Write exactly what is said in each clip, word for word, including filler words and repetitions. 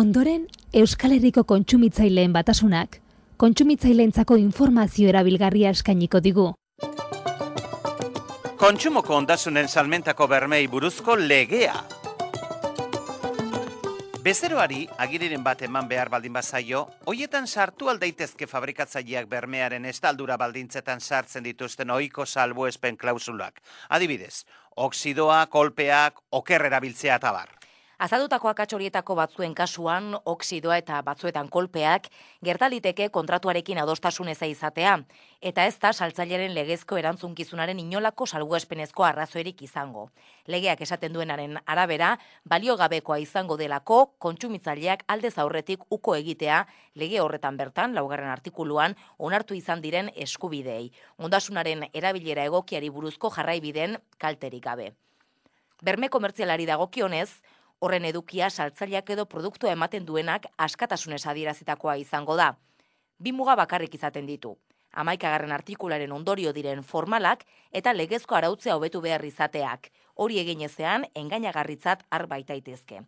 Ondoren, Euskal Herriko kontsumitzaileen batasunak, kontsumitzaileentzako informazio erabilgarria eskainiko digu. Kontsumoko ondasunen salmentako bermei buruzko legea. Bezeroari agiriren bat eman behar baldin bazaio, hoietan sartu aldaitezke fabrikatzaileak bermearen estaldura baldintzetan sartzen dituzten ohiko salbuespen klausulak. Adibidez, oxidoa, kolpeak, oker erabiltzea eta bar. Azaldutako akats horietako batzuen kasuan, oxidoa eta batzuetan kolpeak gertaliteke kontratuarekin adostasun eza izatea, eta ez da saltzaileren legezko erantzunkizunaren inolako salbuespenezko arrazoirik izango. Legeak esaten duenaren arabera, baliogabekoa izango delako kontsumitzaileak aldez aurretik uko egitea lege horretan bertan, laugarren artikuluan, onartu izan diren eskubideei. Ondasunaren erabilera egokiari buruzko jarraibideen kalterik gabe. Berme komertzialari dagokionez, horren edukia saltzaileak edo produktua ematen duenak askatasunez adierazitakoa izango da. Bi muga bakarrik izaten ditu. Hamaikagarren artikularen ondorio diren formalak eta legezko arautzea hobetu behar izateak. Hori egin ezean, engainagarritzat har baitaitezke.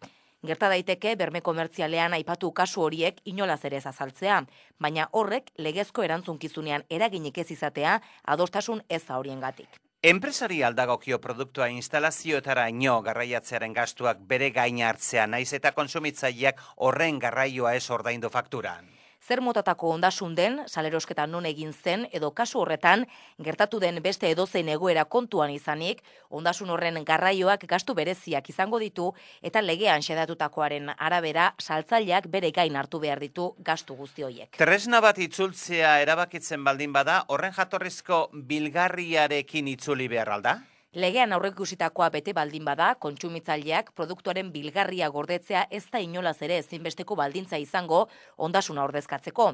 Gerta daiteke berme komertzialean aipatu kasu horiek inolaz ere ez azaltzea, baina horrek legezko erantzunkizunean eraginik ez izatea adostasun eza horiengatik. Enpresari aldagokio produktua instalazioetara ino garraiatzearen gastuak bere gain hartzea naiz eta kontsumitzaileak horren garraioa ez ordaindu fakturan. Zer motatako ondasun den, salerosketa non egin zen, edo kasu horretan, gertatu den beste edozein egoera kontuan izanik, ondasun horren garraioak gastu bereziak izango ditu, eta legean xedatutakoaren arabera, saltzaileak bere gain hartu behar ditu gastu guzti horiek. Tresna bat itzultzea erabakitzen baldin bada, horren jatorrizko bilgarriarekin itzuli behar alda? Legean aurreikusitakoa bete baldin bada, kontsumitzaileak produktuaren bilgarria gordetzea ez da inolaz ere ezinbesteko baldintza izango ondasuna ordezkatzeko.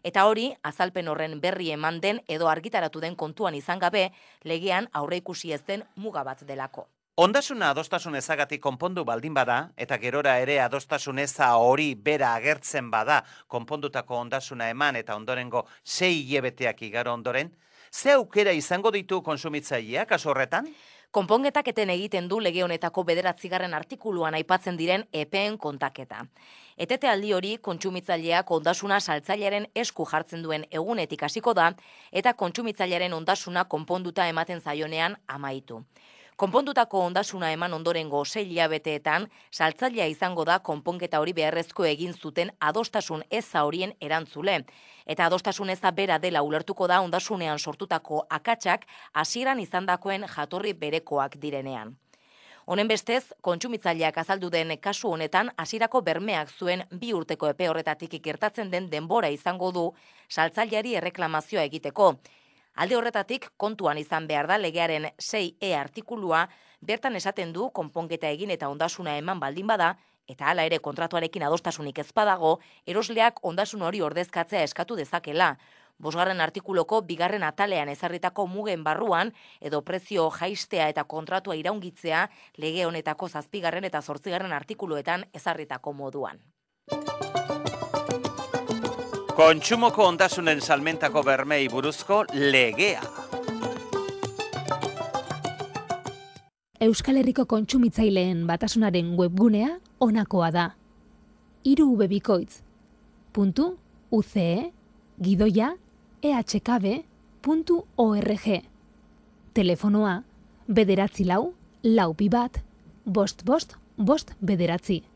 Eta hori, azalpen horren berri eman den edo argitaratu den kontuan izan gabe, legean aurreikusi ez den muga bat delako. Ondasuna adostasun ezagatik konpondu baldin bada, eta gerora ere adostasun eza hori bera agertzen bada konpondutako ondasuna eman eta ondorengo sei hilebeteak igaro ondoren, ze aukera izango ditu kontsumitzaileak kasu horretan? Konponketak eten egiten du lege honetako bederatzigarren artikuluan aipatzen diren epeen kontaketa. Etete aldi hori kontsumitzaileak ondasuna saltzailearen esku jartzen duen egunetik hasiko da eta kontsumitzailearen ondasuna konponduta ematen zaionean amaitu. Konpondutako ondasuna eman ondorengo sei hilabeteetan, saltzailea izango da konponketa hori beharrezko egin zuten adostasun eza horien erantzule. Eta adostasun eza bera dela ulertuko da ondasunean sortutako akatsak hasieran izandakoen jatorri berekoak direnean. Honen bestez, kontsumitzaileak azaldu den kasu honetan hasierako bermeak zuen bi urteko epe horretatik gertatzen den denbora izango du saltzaileari erreklamazioa egiteko. Alde horretatik, kontuan izan behar da legearen sei e artikulua, bertan esaten du konponketa egin eta ondasuna eman baldin bada, eta hala ere kontratuarekin adostasunik ez badago, erosleak ondasun hori ordezkatzea eskatu dezakela. Bosgarren artikuloko bigarren atalean ezarritako mugen barruan, edo prezio jaistea eta kontratua iraungitzea lege honetako zazpigarren eta zortzigarren artikuluetan ezarritako moduan. Kontsumoko ondasunen salmentako bermei buruzko legea. Euskal Herriko kontsumitzaileen batasunaren webgunea honakoa da. hiru u be bikoitz puntu u ce e gidoia e hache ka be puntu org. Telefonoa bederatzi lau, lau bi bat, bost bost, bost bederatzi.